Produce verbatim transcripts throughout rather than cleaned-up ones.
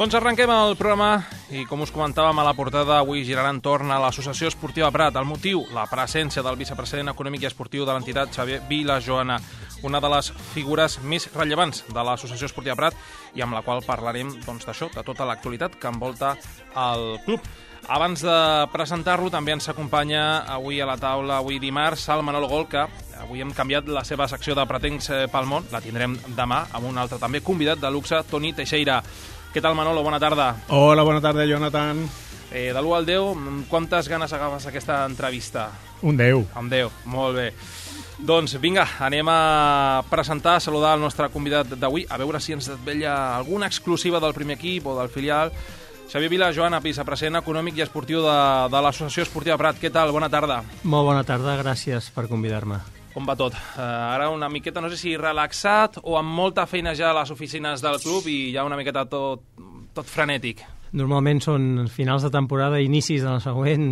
Doncs arrenquem el programa i, com us comentàvem a la portada, avui girarà entorn a l'Associació Esportiva Prat. El motiu, la presència del vicepresident econòmic i esportiu de l'entitat, Xavier Vilajoana, una de les figures més rellevants de l'Associació Esportiva Prat i amb la qual parlarem doncs, d'això, de tota l'actualitat que envolta el club. Abans de presentar-lo, també ens acompanya avui a la taula, avui dimarts, el Manolo Gol, que avui hem canviat la seva secció de Pretencs pel món. La tindrem demà amb un altre també convidat de luxe, Toni Teixeira. Què tal, Manolo? Bona tarda. Hola, bona tarda, Jonathan. Eh, de l'u al deu, quantes ganes agafes aquesta entrevista? Un deu. Un deu, molt bé. Doncs vinga, anem a presentar, a saludar el nostre convidat d'avui, a veure si ens desvetlla alguna exclusiva del primer equip o del filial. Xavier Vilajoana, vicepresident econòmic i esportiu de, de l'Associació Esportiva Prat. Què tal? Bona tarda. Molt bona tarda, gràcies per convidar-me. Com va tot? Uh, ara una miqueta, no sé si relaxat o amb molta feina ja a les oficines del club i ja una miqueta tot, tot frenètic. Normalment són finals de temporada i inicis de la següent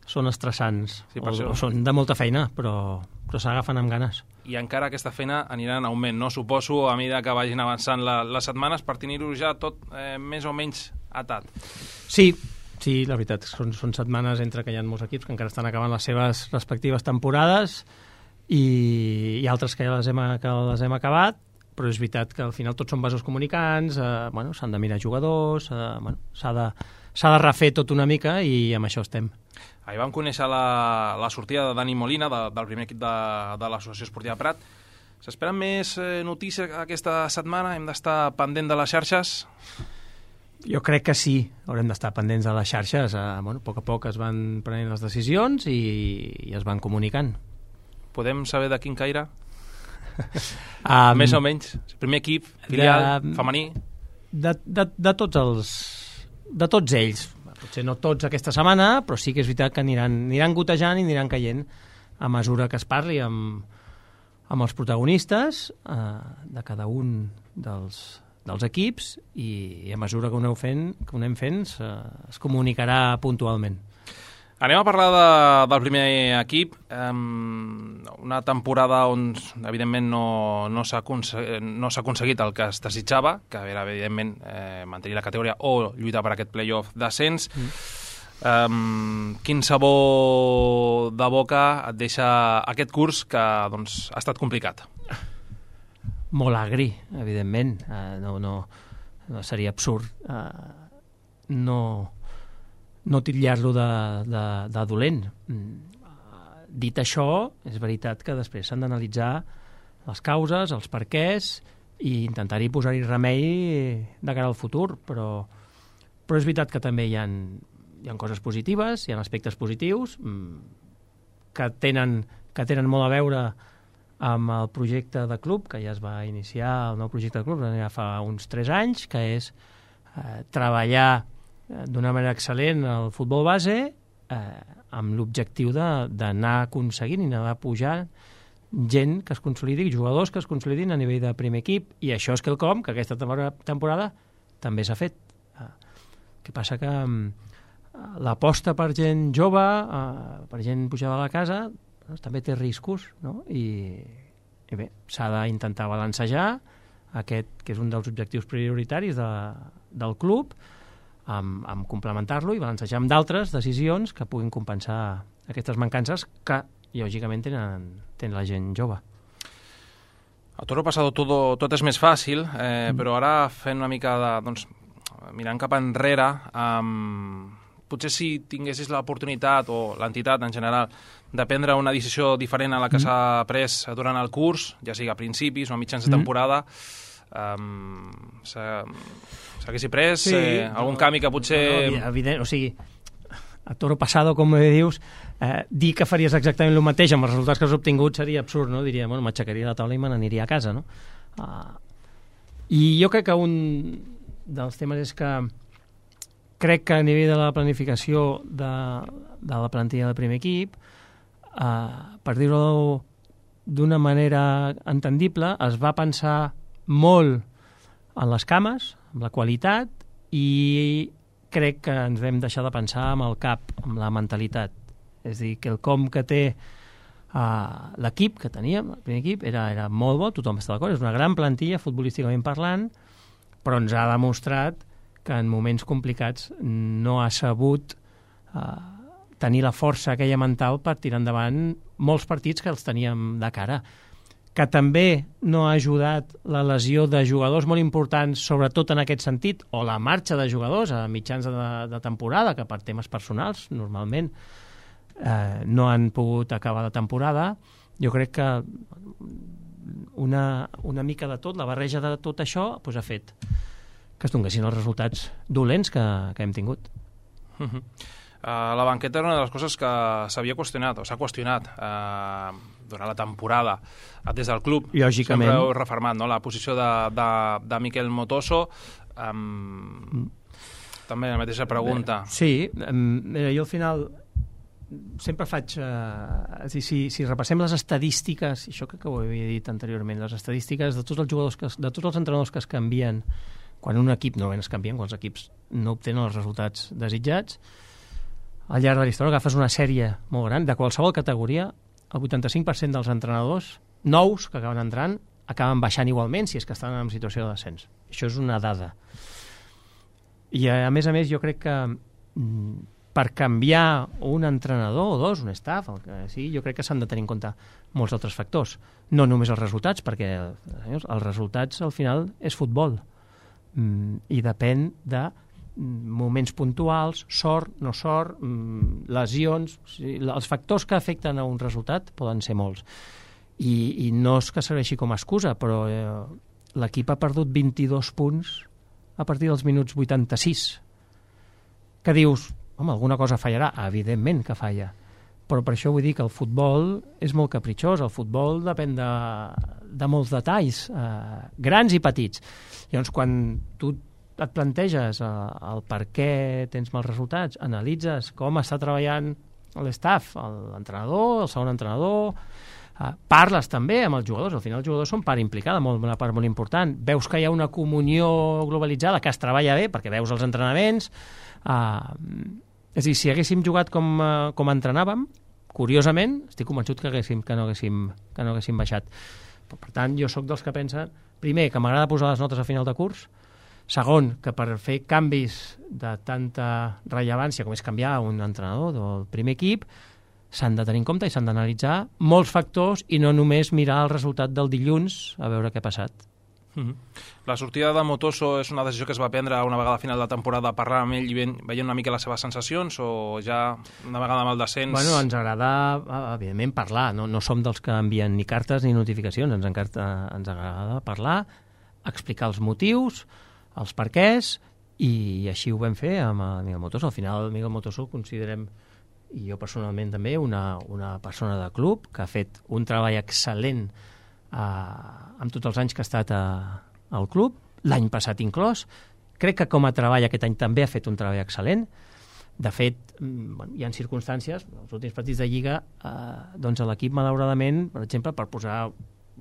són estressants, sí, o, o són de molta feina, però, però s'agafen amb ganes. I encara aquesta feina anirà en augment, no? Suposo, a mesura que vagin avançant la, les setmanes per tenir-ho ja tot eh, més o menys atat. Sí, sí, la veritat, són, són setmanes entre que hi ha molts equips que encara estan acabant les seves respectives temporades i, i altres que ja les hem, que les hem acabat, però és veritat que al final tots són vasos comunicants, eh, bueno, s'han de mirar jugadors, eh, bueno, s'ha de, s'ha de refer tot una mica i amb això estem. Ahir vam conèixer la, la sortida de Dani Molina, de, del primer equip de, de l'Associació Esportiva Prat. S'esperen més eh, notícies aquesta setmana? Hem d'estar pendent de les xarxes? Jo crec que sí, haurem d'estar pendents de les xarxes. Eh, bueno, a poc a poc es van prenent les decisions i, i es van comunicant. Podem saber de quin caire? um, Més o menys? Primer equip, filial, de, femení? De, de, de tots els... De tots ells. Potser no tots aquesta setmana, però sí que és veritat que aniran, aniran gotejant i aniran caient a mesura que es parli amb, amb els protagonistes eh, de cada un dels, dels equips i, i a mesura que ho aneu fent, que ho anem fent eh, es comunicarà puntualment. Anem a parlar de, del primer equip, um, una temporada on, evidentment, no, no s'ha no s'ha aconseguit el que es desitjava, que era, evidentment, eh, mantenir la categoria o lluitar per aquest play-off d'ascens. Mm. Um, quin sabor de boca et deixa aquest curs que doncs, ha estat complicat? Molt agri, evidentment. Uh, no, no, no seria absurd. Uh, no... no titllar-lo de, de, de dolent. Dit això, és veritat que després s'han d'analitzar les causes, els perquès i intentar-hi posar-hi remei de cara al futur, però, però és veritat que també hi ha, hi ha coses positives, hi ha aspectes positius que tenen, que tenen molt a veure amb el projecte de club, que ja es va iniciar, el nou projecte de club ja fa uns tres anys, que és eh, treballar d'una manera excel·lent el futbol base eh, amb l'objectiu d'anar aconseguint i anar pujant gent que es consolidi, jugadors que es consolidin a nivell de primer equip, i això és quelcom que aquesta temporada també s'ha fet. Eh, que passa que eh, l'aposta per gent jove, eh, per gent pujada a la casa, doncs, també té riscos, no? I, i bé, s'ha d'intentar balancejar aquest, que és un dels objectius prioritaris de, del club, amb, amb complementar-lo i balancejar amb d'altres decisions que puguin compensar aquestes mancances que, lògicament, tenen, tenen la gent jove. A Toro Pasado tot, tot és més fàcil, eh, mm. però ara fent una mica de... Doncs, mirant cap enrere, um, potser si tinguessis l'oportunitat, o l'entitat en general, de prendre una decisió diferent a la que mm. s'ha pres durant el curs, ja sigui a principis o a mitjans de temporada, um, s'ha... s'haguessi pres sí, eh, algun no, canvi que potser... No, no, evident, o sigui, a Toro Pasado, com dius, eh, dir que faries exactament el mateix amb els resultats que has obtingut seria absurd, no? Diria, bueno, m'aixecaria la taula i me n'aniria a casa, no? Uh, I jo crec que un dels temes és que crec que a nivell de la planificació de, de la plantilla del primer equip, uh, per dir-ho d'una manera entendible, es va pensar molt en les cames, amb la qualitat, i crec que ens vam deixar de pensar amb el cap, amb la mentalitat. És a dir, que el com que té uh, l'equip que teníem, el primer equip, era, era molt bo, tothom està d'acord, és una gran plantilla futbolísticament parlant, però ens ha demostrat que en moments complicats no ha sabut eh, tenir la força aquella mental per tirar endavant molts partits que els teníem de cara. Que també no ha ajudat la lesió de jugadors molt importants, sobretot en aquest sentit, o la marxa de jugadors a mitjans de, de temporada, que per temes personals, normalment, eh, no han pogut acabar la temporada. Jo crec que una, una mica de tot, la barreja de tot això, doncs ha fet que es donguessin els resultats dolents que, que hem tingut. Uh -huh. Uh, la banqueta era una de les coses que s'havia qüestionat, o s'ha qüestionat uh, durant la temporada des del club. Lògicament. Sempre heu refermat, no?, la posició de, de, de Miquel Motoso. Um, mm. També la mateixa pregunta. Sí, um, jo al final sempre faig... Uh, és dir, si, si repassem les estadístiques, això crec que ho havia dit anteriorment, les estadístiques de tots els jugadors, que, de tots els entrenadors que es canvien, quan un equip, normalment es canvien, quan els equips no obtenen els resultats desitjats, al llarg de la història agafes una sèrie molt gran, de qualsevol categoria, el vuitanta-cinc per cent dels entrenadors nous que acaben entrant acaben baixant igualment si és que estan en situació de descens. Això és una dada. I a més a més jo crec que per canviar un entrenador o dos, un staff, el que sigui, jo crec que s'han de tenir en compte molts altres factors. No només els resultats, perquè senyors, els resultats al final és futbol i depèn de moments puntuals, sort, no sort, lesions, o sigui, els factors que afecten a un resultat poden ser molts. I, i no és que serveixi com a excusa, però eh, l'equip ha perdut vint-i-dos punts a partir dels minuts vuitanta-sis. Que dius, home, alguna cosa fallarà? Evidentment que falla. Però per això vull dir que el futbol és molt capritxós, el futbol depèn de, de molts detalls, eh, grans i petits. Llavors, quan tu et planteges el, el per què tens mals resultats, analitzes com està treballant l'estaff, l'entrenador, el segon entrenador, eh, parles també amb els jugadors, al final els jugadors són part implicada, molt, una part molt important, veus que hi ha una comunió globalitzada, que es treballa bé, perquè veus els entrenaments, eh, és a dir, si haguéssim jugat com, eh, com entrenàvem, curiosament, estic convençut que, haguéssim, que, no haguéssim, que no haguéssim baixat. Per, per tant, jo sóc dels que pensen, primer, que m'agrada posar les notes a final de curs, segon, que per fer canvis de tanta rellevància com és canviar un entrenador del primer equip, s'han de tenir en compte i s'han d'analitzar molts factors i no només mirar el resultat del dilluns a veure què ha passat. Mm-hmm. La sortida de Motoso és una decisió que es va prendre una vegada a final de temporada, parlar amb ell i veient una mica les seves sensacions, o ja una vegada amb el descens? Bueno, ens agrada, evidentment, parlar. No, no som dels que envien ni cartes ni notificacions. Ens, encarta, ens agrada parlar, explicar els motius, els perquès, i així ho vam fer amb el Miguel Motoso. Al final, el Miguel Motoso considerem, i jo personalment també, una, una persona de club que ha fet un treball excel·lent eh, amb tots els anys que ha estat a, al club, l'any passat inclòs. Crec que com a treball aquest any també ha fet un treball excel·lent. De fet, bueno, hi ha circumstàncies, els últims partits de Lliga, eh, doncs l'equip, malauradament, per exemple, per posar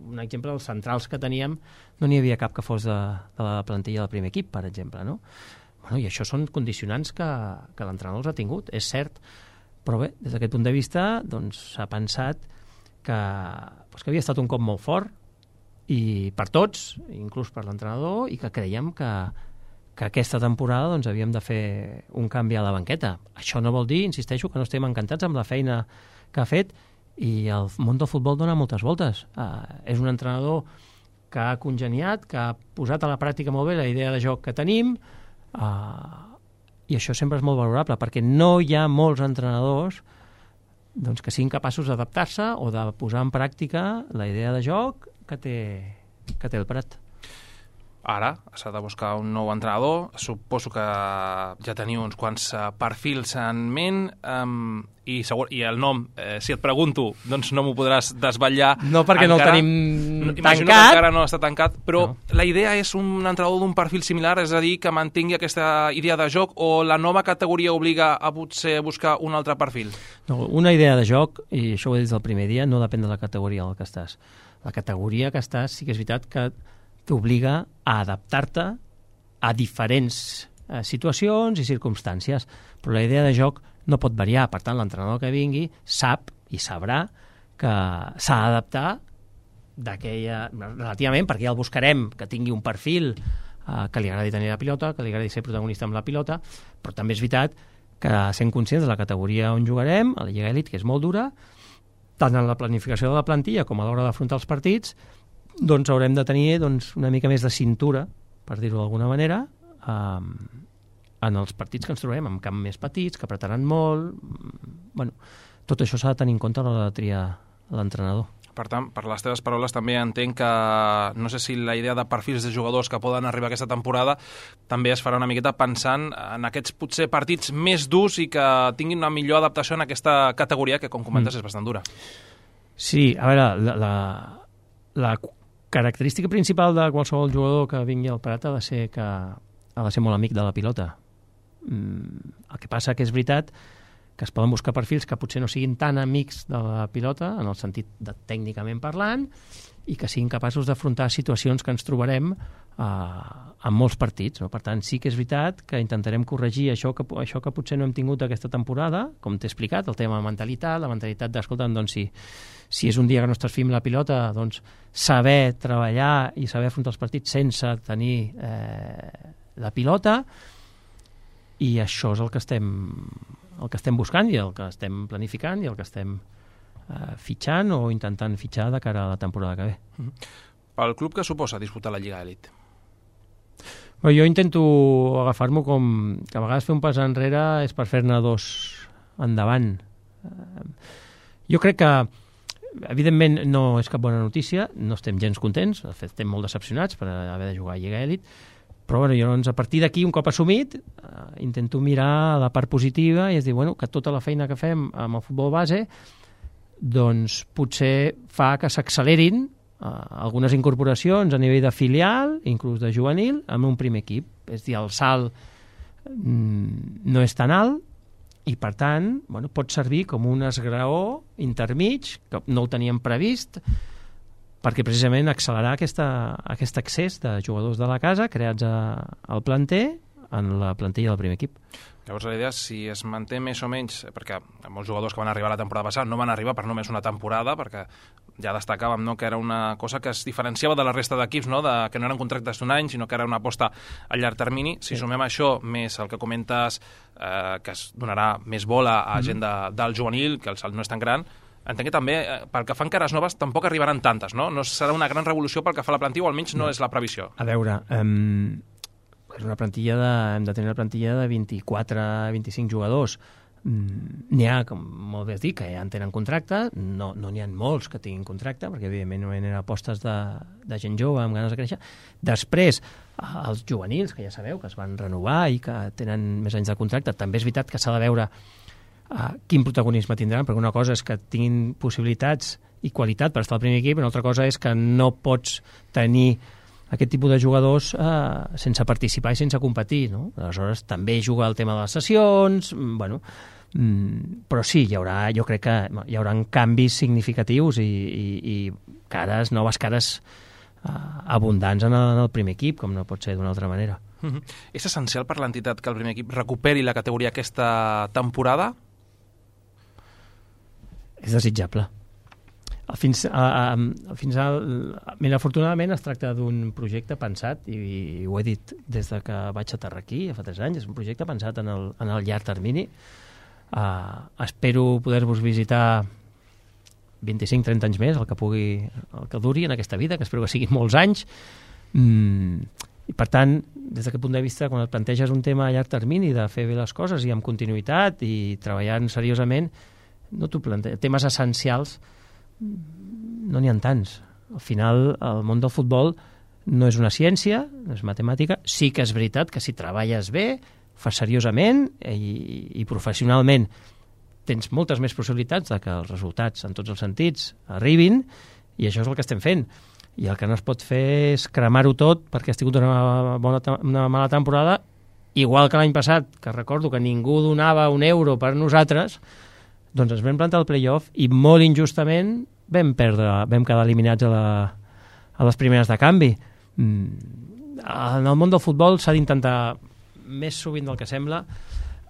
un exemple, dels centrals que teníem, no n'hi havia cap que fos de, de la plantilla del primer equip, per exemple, no? Bueno, i això són condicionants que, que l'entrenador els ha tingut, és cert, però bé, des d'aquest punt de vista doncs s'ha pensat que, doncs, que havia estat un cop molt fort i per tots, inclús per l'entrenador, i que creiem que, que aquesta temporada doncs, havíem de fer un canvi a la banqueta. Això no vol dir, insisteixo, que no estem encantats amb la feina que ha fet, i el món del futbol dona moltes voltes. Uh, és un entrenador que ha congeniat, que ha posat a la pràctica molt bé la idea de joc que tenim, uh, i això sempre és molt valorable, perquè no hi ha molts entrenadors doncs, que siguin capaços d'adaptar-se o de posar en pràctica la idea de joc que té, que té el Prat. Ara s'ha de buscar un nou entrenador. Suposo que ja teniu uns quants uh, perfils en ment, um, i, segur, i el nom, eh, si et pregunto, doncs no m'ho podràs desvetllar. No, perquè encara. No el tenim no, tancat. Imagino que encara no està tancat, però no. La idea és un entrenador d'un perfil similar, és a dir, que mantingui aquesta idea de joc, o la nova categoria obliga a potser buscar un altre perfil? No, una idea de joc, i això ho he dit del primer dia, no depèn de la categoria en què estàs. La categoria que estàs sí que és veritat que t'obliga a adaptar-te a diferents eh, situacions i circumstàncies, però la idea de joc no pot variar. Per tant, l'entrenador que vingui sap i sabrà que s'ha d'adaptar d'aquella, relativament, perquè ja el buscarem, que tingui un perfil uh, que li agradi tenir la pilota, que li agradi ser protagonista amb la pilota, però també és veritat que sent conscients de la categoria on jugarem, a la Lliga Elite, que és molt dura, tant en la planificació de la plantilla com a l'hora d'afrontar els partits, doncs haurem de tenir doncs, una mica més de cintura, per dir-ho d'alguna manera, eh, en els partits que ens trobem, amb camps més petits, que apretaran molt. Bueno, tot això s'ha de tenir en compte a l'hora de triar l'entrenador. Per tant, per les teves paraules també entenc que no sé si la idea de perfils de jugadors que poden arribar aquesta temporada també es farà una miqueta pensant en aquests potser partits més durs i que tinguin una millor adaptació en aquesta categoria que, com comentes, mm. és bastant dura. Sí, a veure, la, la, la característica principal de qualsevol jugador que vingui al Prat ha de ser que ha de ser molt amic de la pilota. El que passa que és veritat que es poden buscar perfils que potser no siguin tan amics de la pilota, en el sentit de tècnicament parlant, i que siguin capaços d'afrontar situacions que ens trobarem eh, en molts partits. No? Per tant, sí que és veritat que intentarem corregir això que, això que potser no hem tingut aquesta temporada, com t'he explicat, el tema de mentalitat, la mentalitat d'escolta, doncs si, si és un dia que no estàs fent la pilota, doncs saber treballar i saber afrontar els partits sense tenir eh, la pilota, i això és el que estem el que estem buscant i el que estem planificant i el que estem eh, fitxant o intentant fitxar de cara a la temporada que ve. Mm-hmm. Pel club que suposa disputar la Lliga Elite? Bé, jo intento agafar-m'ho com que a vegades fer un pas enrere és per fer-ne dos endavant. Eh, jo crec que evidentment no és cap bona notícia, no estem gens contents, de fet estem molt decepcionats per haver de jugar a Lliga Elite, però bueno, jo, doncs, a partir d'aquí, un cop assumit, eh, intento mirar la part positiva i és dir, bueno, que tota la feina que fem amb el futbol base doncs potser fa que s'accelerin eh, algunes incorporacions a nivell de filial, inclús de juvenil, amb un primer equip. És dir, el salt mm, no és tan alt i, per tant, bueno, pot servir com un esgraó intermig, que no ho teníem previst, perquè precisament accelerar aquesta, aquest accés de jugadors de la casa creats a, al planter en la plantilla del primer equip. Llavors la idea, si es manté més o menys, perquè molts jugadors que van arribar la temporada passada no van arribar per només una temporada, perquè ja destacàvem, no?, que era una cosa que es diferenciava de la resta d'equips, no?, de, que no eren contractes d'un any, sinó que era una aposta a llarg termini. Si sí. sumem això, més el que comentes, eh, que es donarà més bola a gent de, del juvenil, que el salt no és tan gran, entenc que també, pel que fan cares noves, tampoc arribaran tantes, no? No serà una gran revolució pel que fa a la plantilla, o almenys no, no és la previsió. A veure, um, és una plantilla de, hem de tenir una plantilla de vint-i-quatre a vint-i-cinc jugadors. Mm, n'hi ha, com molt bé has dit, que ja en tenen contracte, no no n'hi ha molts que tinguin contracte, perquè evidentment no eren apostes de, de gent jove amb ganes de créixer. Després, els juvenils, que ja sabeu, que es van renovar i que tenen més anys de contracte, també és veritat que s'ha de veure Uh, quin protagonisme tindran, perquè una cosa és que tinguin possibilitats i qualitat per estar al primer equip, i una altra cosa és que no pots tenir aquest tipus de jugadors uh, sense participar i sense competir, no? Aleshores també juga el tema de les sessions, bueno, mm, però sí, hi haurà, jo crec que hi haurà canvis significatius i, i, i cares, noves cares uh, abundants en el, en el primer equip, com no pot ser d'una altra manera. Mm-hmm. És essencial per l'entitat que el primer equip recuperi la categoria aquesta temporada? És desitjable. Fins, a, a, fins al, mira, afortunadament es tracta d'un projecte pensat, i, i ho he dit des de que vaig aterrar aquí, fa tres anys, és un projecte pensat en el, en el llarg termini. Uh, espero poder-vos visitar vint-i-cinc a trenta anys més, el que pugui, el que duri en aquesta vida, que espero que siguin molts anys. Mm, i per tant, des d'aquest punt de vista, quan et planteges un tema a llarg termini de fer bé les coses i amb continuïtat i treballant seriosament, no t'ho planteja. Temes essencials no n'hi ha tants. Al final, el món del futbol no és una ciència, no és matemàtica. Sí que és veritat que si treballes bé, fas seriosament i, i professionalment, tens moltes més possibilitats de que els resultats, en tots els sentits, arribin, i això és el que estem fent. I el que no es pot fer és cremar-ho tot perquè has tingut una, bona, una mala temporada, igual que l'any passat, que recordo que ningú donava un euro per nosaltres, doncs ens vam plantar el play-off i molt injustament vam perdre, vam quedar eliminats a, la, a les primeres de canvi. Mm. En el món del futbol s'ha d'intentar, més sovint del que sembla,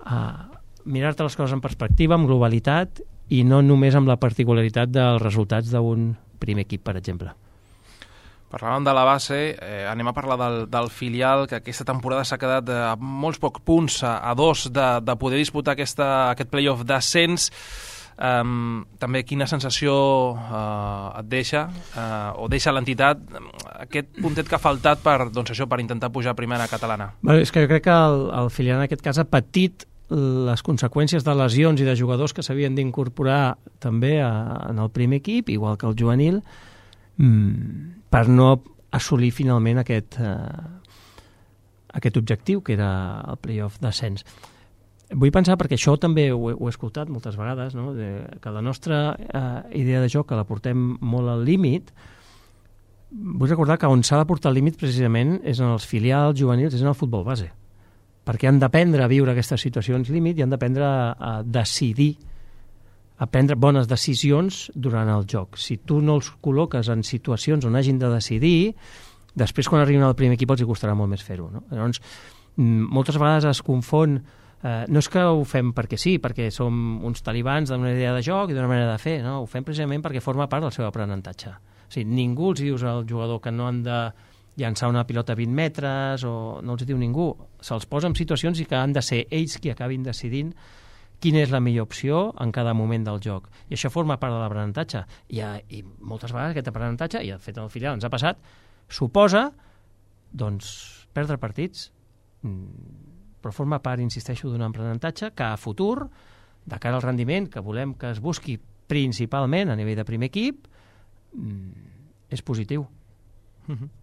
uh, mirar-te les coses en perspectiva, amb globalitat, i no només amb la particularitat dels resultats d'un primer equip, per exemple. Parlàvem de la base, eh, anem a parlar del, del filial, que aquesta temporada s'ha quedat a molts pocs punts, a, a dos de, de poder disputar aquesta, aquest play-off d'ascens. Um, també quina sensació uh, et deixa, uh, o deixa l'entitat, aquest puntet que ha faltat per, doncs això, per intentar pujar a primera catalana? Bé, és que jo crec que el, el filial en aquest cas ha patit les conseqüències de lesions i de jugadors que s'havien d'incorporar també a, en el primer equip, igual que el juvenil, mmm, per no assolir finalment aquest, eh, aquest objectiu, que era el play-off d'ascens. Vull pensar, perquè això també ho he, ho he escoltat moltes vegades, no? De, que la nostra eh, idea de joc, que la portem molt al límit, vull recordar que on s'ha de portar al límit precisament és en els filials juvenils, és en el futbol base, perquè han d'aprendre a viure aquestes situacions límit i han d'aprendre a, a decidir, a prendre bones decisions durant el joc. Si tu no els col·loques en situacions on hagin de decidir, després quan arriben al primer equip els hi costarà molt més fer-ho, no? Llavors, moltes vegades es confon, eh, no és que ho fem perquè sí, perquè som uns talibans d'una idea de joc i d'una manera de fer, no? Ho fem precisament perquè forma part del seu aprenentatge. O sigui, ningú els dius al jugador que no han de llançar una pilota a vint metres, o no els diu ningú. Se'ls posa en situacions i que han de ser ells qui acabin decidint quina és la millor opció en cada moment del joc. I això forma part de l'aprenentatge. I, I moltes vegades aquest aprenentatge, i de fet en el filial ens ha passat, suposa doncs, perdre partits, però forma part, insisteixo, d'un aprenentatge que a futur, de cara al rendiment que volem que es busqui principalment a nivell de primer equip, és positiu. Mm-hmm.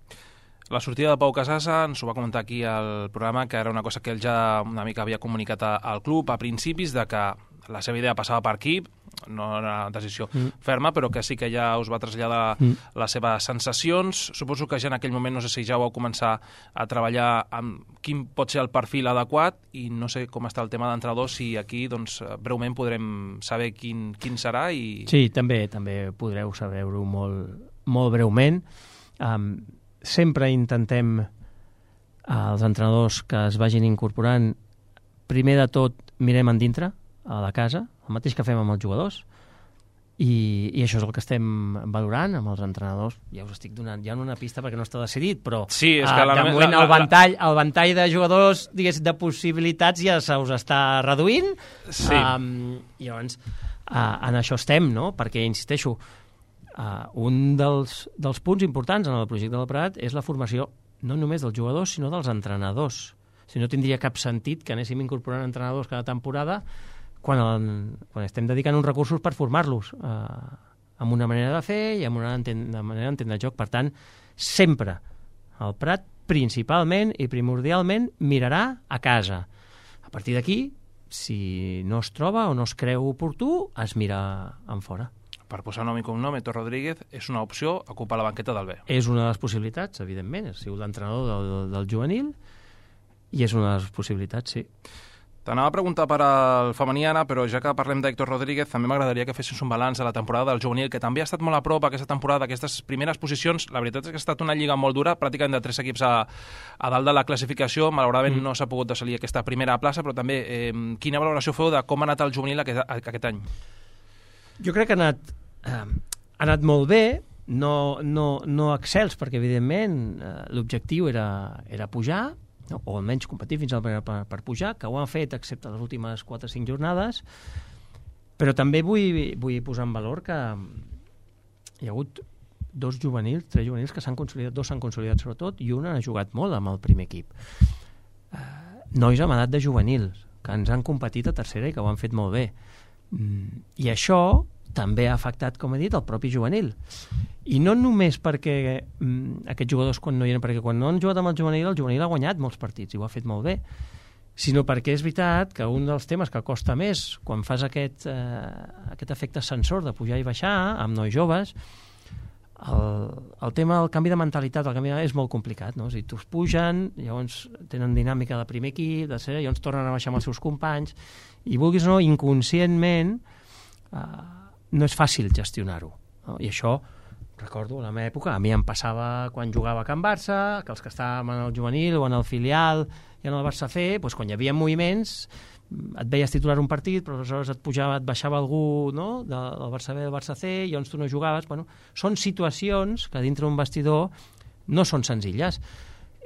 La sortida de Pau Casassa ens ho va comentar aquí al programa, que era una cosa que ell ja una mica havia comunicat al club a principis, de que la seva idea passava per aquí, no era una decisió mm. ferma, però que sí que ja us va traslladar mm. les seves sensacions. Suposo que ja en aquell moment, no sé si ja vau començar a treballar amb quin pot ser el perfil adequat, i no sé com està el tema d'entrenador, si aquí doncs, breument podrem saber quin, quin serà. I... Sí, també també podreu saber-ho molt, molt breument. Um, sempre intentem els entrenadors que es vagin incorporant, primer de tot mirem en dintre a la casa, el mateix que fem amb els jugadors, i, i això és el que estem valorant amb els entrenadors. Ja us estic donant ja una pista perquè no està decidit, però sí, és que uh, la, de moment la, la, el, ventall, el ventall de jugadors, digués, de possibilitats ja se us està reduint. Sí. Um, i llavors uh, en això estem, no? Perquè, insisteixo, Uh, un dels, dels punts importants en el projecte del Prat és la formació no només dels jugadors, sinó dels entrenadors. Si no tindria cap sentit que anéssim incorporant entrenadors cada temporada quan, el, quan estem dedicant uns recursos per formar-los uh, amb una manera de fer i amb una manera d'entendre el joc. Per tant, sempre el Prat principalment i primordialment mirarà a casa. A partir d'aquí, si no es troba o no es creu oportú, es mira en fora. Per posar nom i cognom, Héctor Rodríguez és una opció ocupar la banqueta del B. És una de les possibilitats, evidentment. Ha sigut l'entrenador del, del juvenil i és una de les possibilitats, sí. T'anava a preguntar per al femení, Anna, però ja que parlem d'Héctor Rodríguez, també m'agradaria que fessis un balanç de la temporada del juvenil, que també ha estat molt a prop aquesta temporada, aquestes primeres posicions. La veritat és que ha estat una lliga molt dura, pràcticament de tres equips a, a dalt de la classificació. Malauradament mm. no s'ha pogut decidir aquesta primera plaça, però també eh, quina valoració feu de com ha anat el juvenil aquest, aquest any? Jo crec que ha anat, eh, ha anat molt bé, no, no, no excels, perquè evidentment eh, l'objectiu era, era pujar, no? O almenys competir fins al per, per, per pujar, que ho han fet excepte les últimes quatre o cinc jornades, però també vull, vull posar en valor que hi ha hagut dos juvenils, tres juvenils que s'han consolidat, dos s'han consolidat sobretot, i un ha jugat molt amb el primer equip. Eh, nois amb edat de juvenils, que ens han competit a tercera i que ho han fet molt bé. Mm, i això també ha afectat, com he dit, el propi juvenil. I no només perquè mm, aquests jugadors quan no hi eren, perquè quan no han jugat amb el juvenil, el juvenil ha guanyat molts partits i ho ha fet molt bé, sinó perquè és veritat que un dels temes que costa més quan fas aquest, eh, aquest efecte sensor de pujar i baixar amb nois joves, el, el tema del canvi de mentalitat, el canvi de... és molt complicat, no? O sigui, tu pugen, llavors tenen dinàmica de primer equip, de ser, llavors tornen a baixar amb els seus companys, i vulguis o no, inconscientment eh, no és fàcil gestionar-ho, no? I això, recordo, a la meva època, a mi em passava quan jugava a Can Barça, que els que estàvem en el juvenil o en el filial i en el Barça C, doncs quan hi havia moviments, et veies titular un partit, però aleshores et pujava, et baixava algú, no?, del Barça B, del Barça C, i llavors tu no jugaves. Bueno, són situacions que dintre d'un vestidor no són senzilles.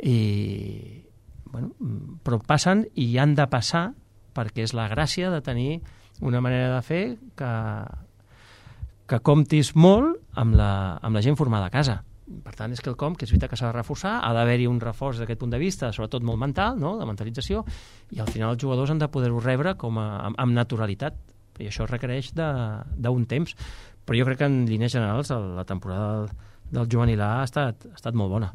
I, bueno, però passen i han de passar perquè és la gràcia de tenir una manera de fer que, que comptis molt amb la, amb la gent formada a casa. Per tant, és quelcom que és veritat que s'ha de reforçar, ha d'haver-hi un reforç d'aquest punt de vista, sobretot molt mental, no?, de mentalització, i al final els jugadors han de poder-ho rebre com a, amb, amb naturalitat, i això requereix d'un temps. Però jo crec que en línies generals la temporada del, del juvenil A ha estat, ha estat molt bona.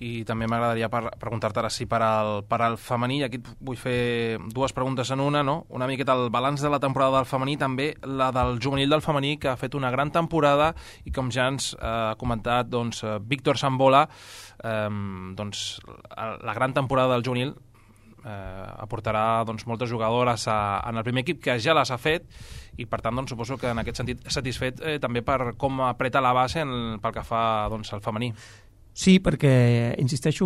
I també m'agradaria preguntar-te ara si per al, per al femení, i aquí vull fer dues preguntes en una, no? Una miqueta el balanç de la temporada del femení, també la del juvenil del femení, que ha fet una gran temporada i com ja ens ha comentat doncs, Víctor Sambola, eh, doncs, la gran temporada del juvenil eh, aportarà doncs, moltes jugadores a, en el primer equip, que ja les ha fet, i per tant doncs, suposo que en aquest sentit satisfet eh, també per com apreta la base en, pel que fa doncs, al femení. Sí, perquè, insisteixo,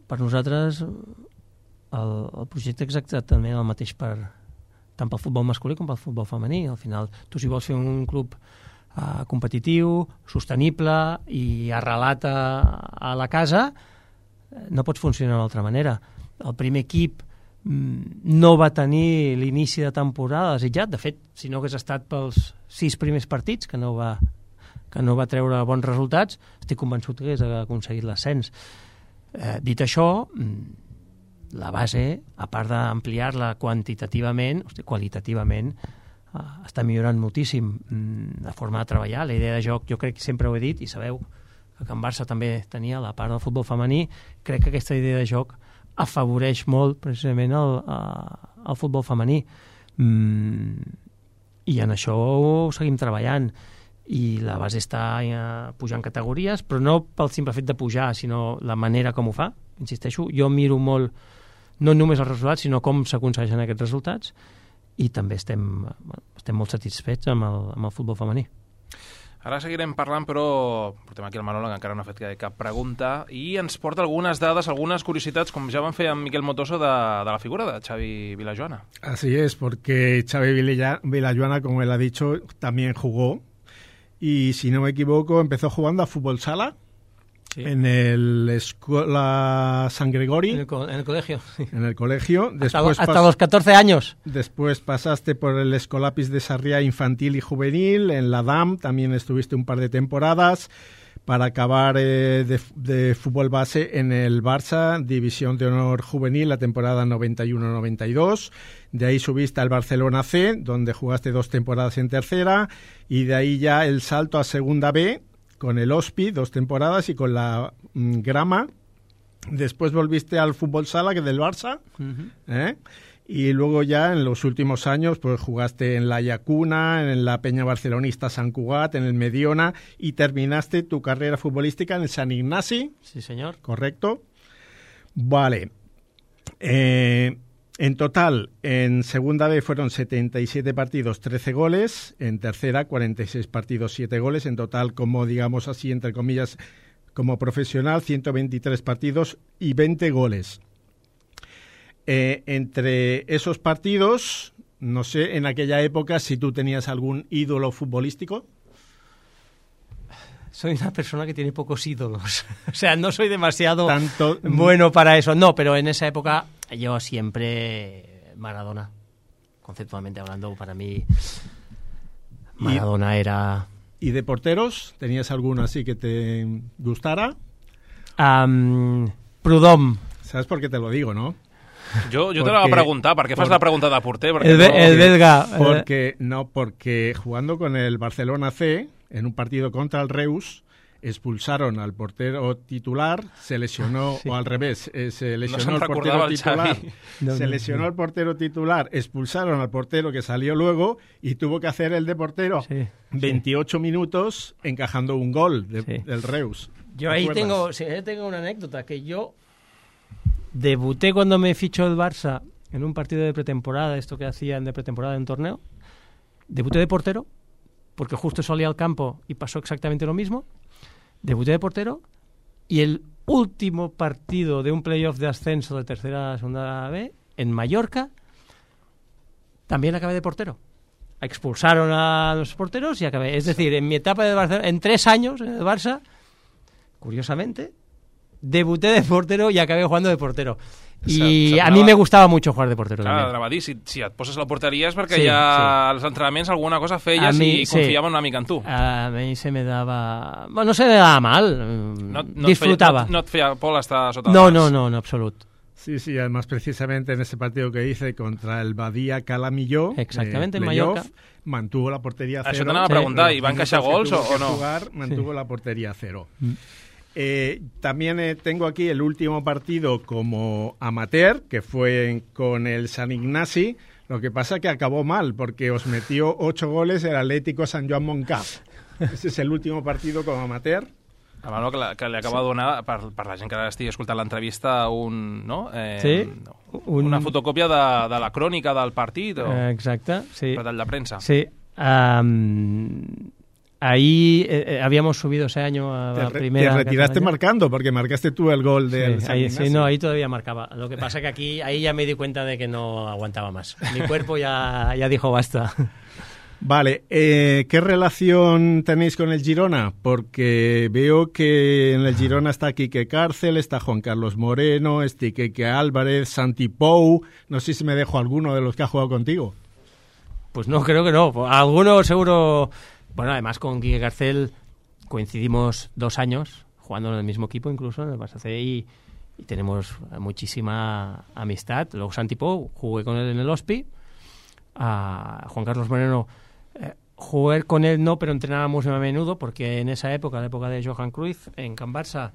per nosaltres el, el projecte és exactament el mateix per, tant pel futbol masculí com pel futbol femení. Al final, tu si vols fer un club uh, competitiu, sostenible i arrelat a, a la casa, no pots funcionar d'altra manera. El primer equip mm, no va tenir l'inici de temporada desitjat. De fet, si no hagués estat pels sis primers partits, que no va... que no va treure bons resultats, estic convençut que hagués aconseguit l'ascens. Eh, dit això, la base, a part d'ampliar-la quantitativament, hosti, qualitativament, eh, està millorant moltíssim la forma de treballar, la idea de joc, jo crec que sempre ho he dit, i sabeu que Can Barça també tenia la part del futbol femení, crec que aquesta idea de joc afavoreix molt precisament el, el futbol femení. Mm, I en això ho seguim treballant. I la base està eh, pujant categories, però no pel simple fet de pujar, sinó la manera com ho fa. Insisteixo, jo miro molt no només els resultats, sinó com s'aconsegueixen aquests resultats, i també estem, estem molt satisfets amb el, amb el futbol femení. Ara seguirem parlant, però portem aquí el Manolo, que encara no ha fet cap pregunta, i ens porta algunes dades, algunes curiositats, com ja van fer amb Miquel Motoso, de, de la figura de Xavi Vilajoana. Así es, porque Xavi Vilajoana, como él ha dicho, también jugó. Y si no me equivoco, empezó jugando a fútbol sala sí. en el Escuela San Gregori. En el, co en el colegio. Sí. En el colegio. Después hasta, hasta los catorce años. Después pasaste por el Escolapis de Sarriá infantil y juvenil. En la D A M también estuviste un par de temporadas. Para acabar eh, de, de fútbol base en el Barça, División de Honor Juvenil, la temporada noventa y uno noventa y dos. De ahí subiste al Barcelona C, donde jugaste dos temporadas en tercera, y de ahí ya el salto a Segunda B, con el Ospi, dos temporadas, y con la mm, Grama. Después volviste al fútbol sala, que del Barça, uh-huh. ¿eh? Y luego ya en los últimos años pues jugaste en la Llacuna, en la Peña Barcelonista Sant Cugat, en el Mediona, y terminaste tu carrera futbolística en el Sant Ignasi. Sí, señor. Correcto. Vale. Eh, en total, en Segunda B fueron setenta y siete partidos, trece goles. En Tercera, cuarenta y seis partidos, siete goles. En total, como digamos así, entre comillas, como profesional, ciento veintitrés partidos y veinte goles. Eh, entre esos partidos, no sé, en aquella época, si tú tenías algún ídolo futbolístico. Soy una persona que tiene pocos ídolos. O sea, no soy demasiado Tanto... bueno para eso. No, pero en esa época yo siempre Maradona. Conceptualmente hablando, para mí Maradona ¿Y, era... ¿Y de porteros? ¿Tenías alguno así que te gustara? Um, Prudhomme. ¿Sabes por qué te lo digo, no? Jo, jo te la voy a preguntar, ¿por qué fas la pregunta de porter? El, be, no, el belga. Porque, no, porque jugando con el Barcelona C, en un partido contra el Reus, expulsaron al portero titular, se lesionó, sí. o al revés, eh, se lesionó no el portero el titular, no, se no, lesionó no. el portero titular, expulsaron al portero que salió luego y tuvo que hacer el de portero sí, veintiocho sí. minutos encajando un gol de, sí. del Reus. Yo ahí tengo, sí, tengo una anécdota, que yo debuté cuando me fichó el Barça en un partido de pretemporada, esto que hacían de pretemporada en un torneo. Debuté de portero, porque justo salí al campo y pasó exactamente lo mismo. Debuté de portero y el último partido de un playoff de ascenso de tercera a segunda B, en Mallorca, también acabé de portero. Expulsaron a los porteros y acabé. Es decir, en mi etapa de Barcelona, en tres años en el Barça, curiosamente, debuté de portero y acabé jugando de portero. I se, a mi me gustava mucho jugar de portero. Clar, també. anava a dir, si, si et poses a la porteria és perquè Sí, ja sí. als entrenaments alguna cosa feies mi, i sí. confiaven una mica en tu. A mi se me daba... Bueno, no se me daba mal, No, no disfrutaba. Et feia, no, no et feia por estar sota No, el no, nas. no, no, absolut. Sí, sí, además precisamente en ese partido que hice contra el Badía Calamilló, Exactamente, eh, en playoff, Mallorca. mantuvo la portería cero. Això t'anava a preguntar, Sí. ¿i van encaixar Los gols minutos o, que o tuvo que no? jugar, mantuvo Sí. la portería cero. Mm. Eh, también eh, tengo aquí el último partido como amateur, que fue en- con el San Ignasi. Lo que pasa que acabó mal, porque os metió ocho goles el Atlético San Joan Montcap. Ese es el último partido como amateur. A Manolo, que, la, que li acaba de donar, per, per la gent que ara estigui escoltant l'entrevista, un, no? eh, Sí, un- una fotocòpia de, de la crònica del partit o Eh, Exacte, sí. per tall de premsa. Sí. Um, ahí eh, eh, habíamos subido ese año a Te, la re- primera. te retiraste Cataluña. marcando, porque marcaste tú el gol del Sí, San ahí, sí, Ignasi. no, ahí todavía marcaba. Lo que pasa que aquí, ahí ya me di cuenta de que no aguantaba más. Mi cuerpo ya, ya dijo basta. Vale, eh, ¿qué relación tenéis con el Girona? Porque veo que en el Girona está Quique Cárcel, está Juan Carlos Moreno, está Quique Álvarez, Santi Pou. No sé si me dejo alguno de los que ha jugado contigo. Pues no, creo que no. Alguno seguro... Bueno, además con Quique Garcel coincidimos dos años jugando en el mismo equipo, incluso en el Barça C, y, y tenemos muchísima amistad. Luego Santi Pou, jugué con él en el Hospi. A Juan Carlos Moreno, eh, jugué con él no, pero entrenábamos muy a menudo, porque en esa época, la época de Johan Cruyff, en Can Barça,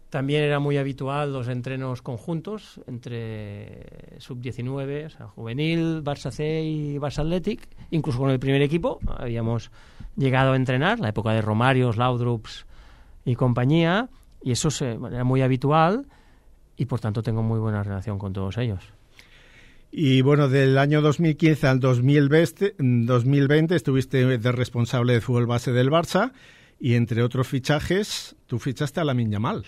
también era muy habitual los entrenos conjuntos entre sub diecinueve, o sea, juvenil, Barça C y Barça Athletic, incluso con el primer equipo habíamos llegado a entrenar, la época de Romarios, Laudrups y compañía, y eso se, bueno, era muy habitual y por tanto tengo muy buena relación con todos ellos. Y bueno, del año dos mil quince al dos mil veinte, dos mil veinte estuviste de responsable de fútbol base del Barça y entre otros fichajes, tú fichaste a Lamine Yamal.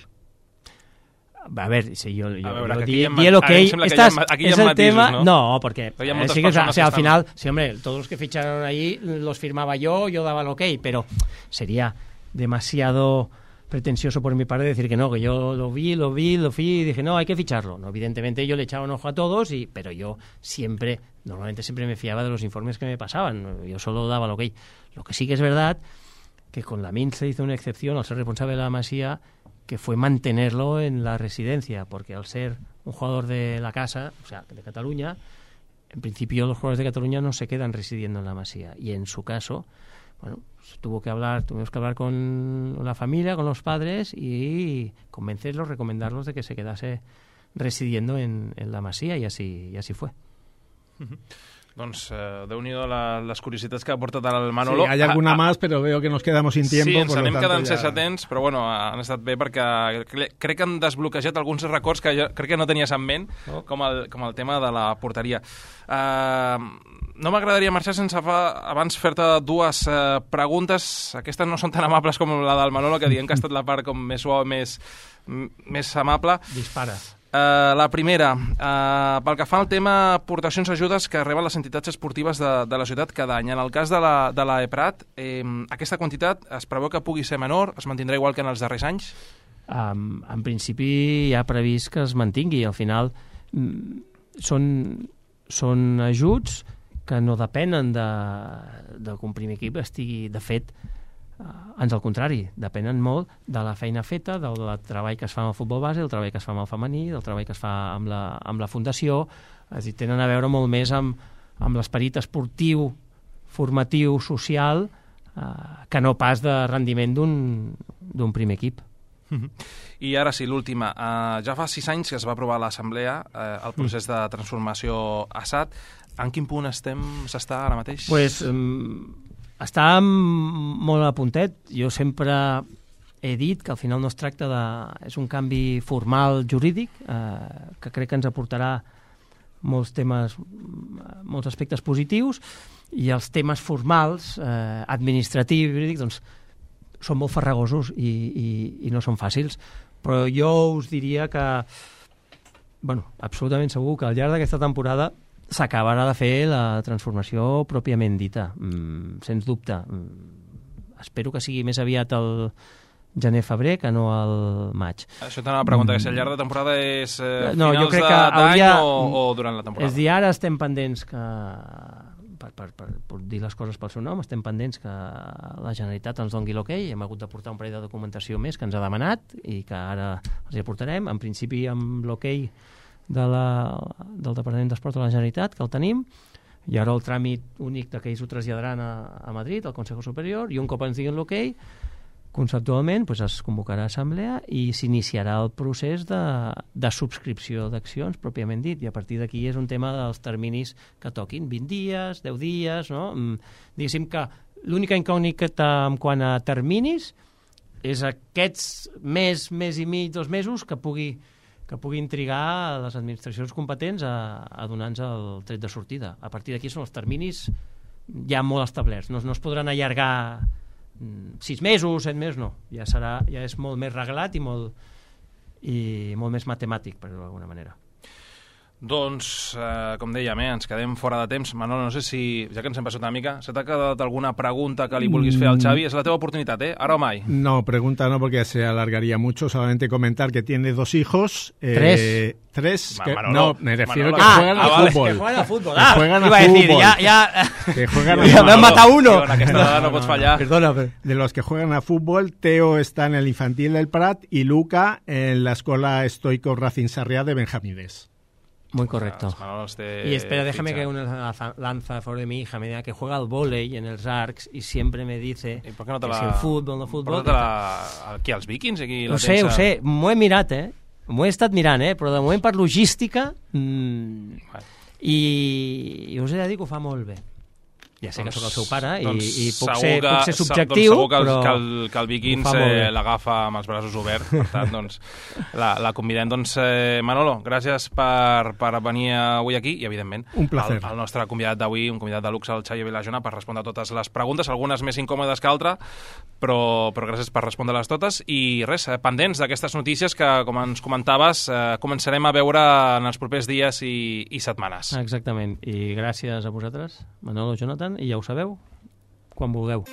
A ver, si yo, yo, A veure, yo que aquí di, hi ha di el ma- ok. ara em sembla que Estàs, hi ha ma- aquí hi ha és el matisos, tema, no? no, porque Pero hi ha eh, moltes sí que, o sea, persones o sea, que al estan- final, sí, hombre, todos los que ficharon ahí los firmaba yo, yo daba el ok, pero sería demasiado pretencioso por mi parte decir que no, que yo lo vi, lo vi, lo vi y dije, no, hay que ficharlo. No, evidentemente yo le echaba un ojo a todos, y, pero yo siempre, normalmente siempre me fiaba de los informes que me pasaban. Yo solo daba el ok. Lo que sí que es verdad que con Lamine se hizo una excepción al ser responsable de la Masía, que fue mantenerlo en la residencia, porque al ser un jugador de la casa, o sea, de Cataluña, en principio los jugadores de Cataluña no se quedan residiendo en la Masía, y en su caso, bueno, tuvo que hablar, tuvimos que hablar con la familia, con los padres, y convencerlos, recomendarlos de que se quedase residiendo en, en la Masía, y así, y así fue. Doncs eh, Déu-n'hi-do la, les curiositats que ha portat el Manolo. Sí, hay alguna Ah, ah, más, pero veo que nos quedamos sin tiempo. Sí, ens por lo anem tanto quedant ya- sense temps, però bueno, han estat bé perquè cre- crec que han desbloquejat alguns records que jo crec que no tenies en ment, Oh. com el, com el tema de la porteria. Uh, no m'agradaria marxar sense fa, abans fer-te dues uh, preguntes. Aquestes no són tan amables com la del Manolo, que diem que ha estat la part com més suau, més, m- més amable. Dispara. Uh, la primera, uh, pel que fa al tema aportacions ajudes que reben les entitats esportives de, de la ciutat cada any. En el cas de la, de la EPRAT, eh, aquesta quantitat es preveu que pugui ser menor, es mantindrà igual que en els darrers anys? Um, en principi hi ha previst que es mantingui. Al final mm, són, són ajuts que no depenen de, de que un primer equip estigui, de fet, uh, ans al contrari, depenen molt de la feina feta, del, del treball que es fa amb el futbol base, del treball que es fa amb el femení, del treball que es fa amb la, amb la fundació. És a dir, tenen a veure molt més amb, amb l'esperit esportiu, formatiu, social, uh, que no pas de rendiment d'un d'un primer equip. I ara sí, l'última. Uh, ja fa sis anys que es va aprovar a l'Assemblea uh, el procés de transformació A S A T. En quin punt estem, s'està ara mateix? Pues, um, està molt a puntet. Jo sempre he dit que al final no es tracta de... És un canvi formal jurídic eh, que crec que ens aportarà molts temes, molts aspectes positius, i els temes formals, eh, administratius, jurídics, doncs, són molt farragosos i, i, i no són fàcils. Però jo us diria que, bueno, absolutament segur que al llarg d'aquesta temporada s'acabarà de fer la transformació pròpiament dita, mm, sens dubte. Mm, espero que sigui més aviat el, gener-febrer que no al maig. Això t'anava a preguntar, que si al llarg de temporada és eh, no, finals d'any hauria... o, o durant la temporada? És dir, ara estem pendents que, per, per, per, per dir les coses pel seu nom, estem pendents que la Generalitat ens doni l'okei, hem hagut de portar un parell de documentació més que ens ha demanat i que ara els hi aportarem, en principi amb l'okei de la, del Departament d'Esport de la Generalitat, que el tenim, i ara el tràmit únic de que ells ho traslladaran a, a Madrid, al Consejo Superior, i un cop ens diguin l'okei, conceptualment pues, es convocarà assemblea i s'iniciarà el procés de, de subscripció d'accions, pròpiament dit, i a partir d'aquí és un tema dels terminis que toquin, vint dies, deu dies, no? Diguéssim que l'única incògnita en quant a terminis és aquests mes, mes i mig, dos mesos que pugui, que puguin trigar les administracions competents a, a donar-nos el tret de sortida. A partir d'aquí són els terminis ja molt establerts, no, no es podran allargar sis mesos, set mesos, no. Ja serà, ja és molt més reglat i molt, i molt més matemàtic, per dir-ho d'alguna manera. Doncs, eh, com dèiem, eh, ens quedem fora de temps. Manolo, no sé si, ja que ens hem passat una mica, se t'ha quedat alguna pregunta que li vulguis fer al Xavi? És la teva oportunitat, ¿eh? Ahora o mai. No, pregunta no, porque se alargaría mucho. Solamente comentar que tiene dos hijos. Eh, ¿Tres? Tres. Que, Manolo, no, me refiero Manolo. que Ah, juegan ah, al vale, fútbol. que juegan al fútbol. Que Ah, juegan al iba a decir, fútbol. ya, ya... Que juegan Ya al me han fútbol. matado uno. En aquesta vegada no pots fallar. Perdona, pero... De los que juegan a fútbol, Teo está en el infantil del Prat y Luca en la escuela estoico Racing Sarriá de Benjamines. Muy correcto. Este Y espera, déjame ficha. que una lanza a favor de mi hija, me diga que juega al vóley en el Arcs y siempre me dice ¿Y por qué no te que la... si el fútbol, no fútbol... Porta-te-la aquí als Vikings? Aquí la Ho sé, tens ho a- sé, m'ho he mirat, eh? M'ho he estat mirant, eh? Però de moment per logística mmm, Vale. i, i us he de dir que ho fa molt bé. Ja sé que sóc el seu pare i, doncs i puc, segur ser, que- puc ser se- subjectiu, doncs segur que el, però que el, que el Vikings ho fa molt bé. eh, l'agafa amb els braços oberts. Per tant, doncs, la, la convidem. Doncs, eh, Manolo, gràcies per, per venir avui aquí i, evidentment, Un placer. el, el nostre convidat d'avui, un convidat de luxe, el Xavi Vilajona, per respondre a totes les preguntes, algunes més incòmodes que altres, però, però gràcies per respondre-les totes. I res, eh, pendents d'aquestes notícies que, com ens comentaves, eh, començarem a veure en els propers dies i, i setmanes. Exactament. I gràcies a vosaltres, Manolo, Jonathan, i ja ho sabeu, quan vulgueu.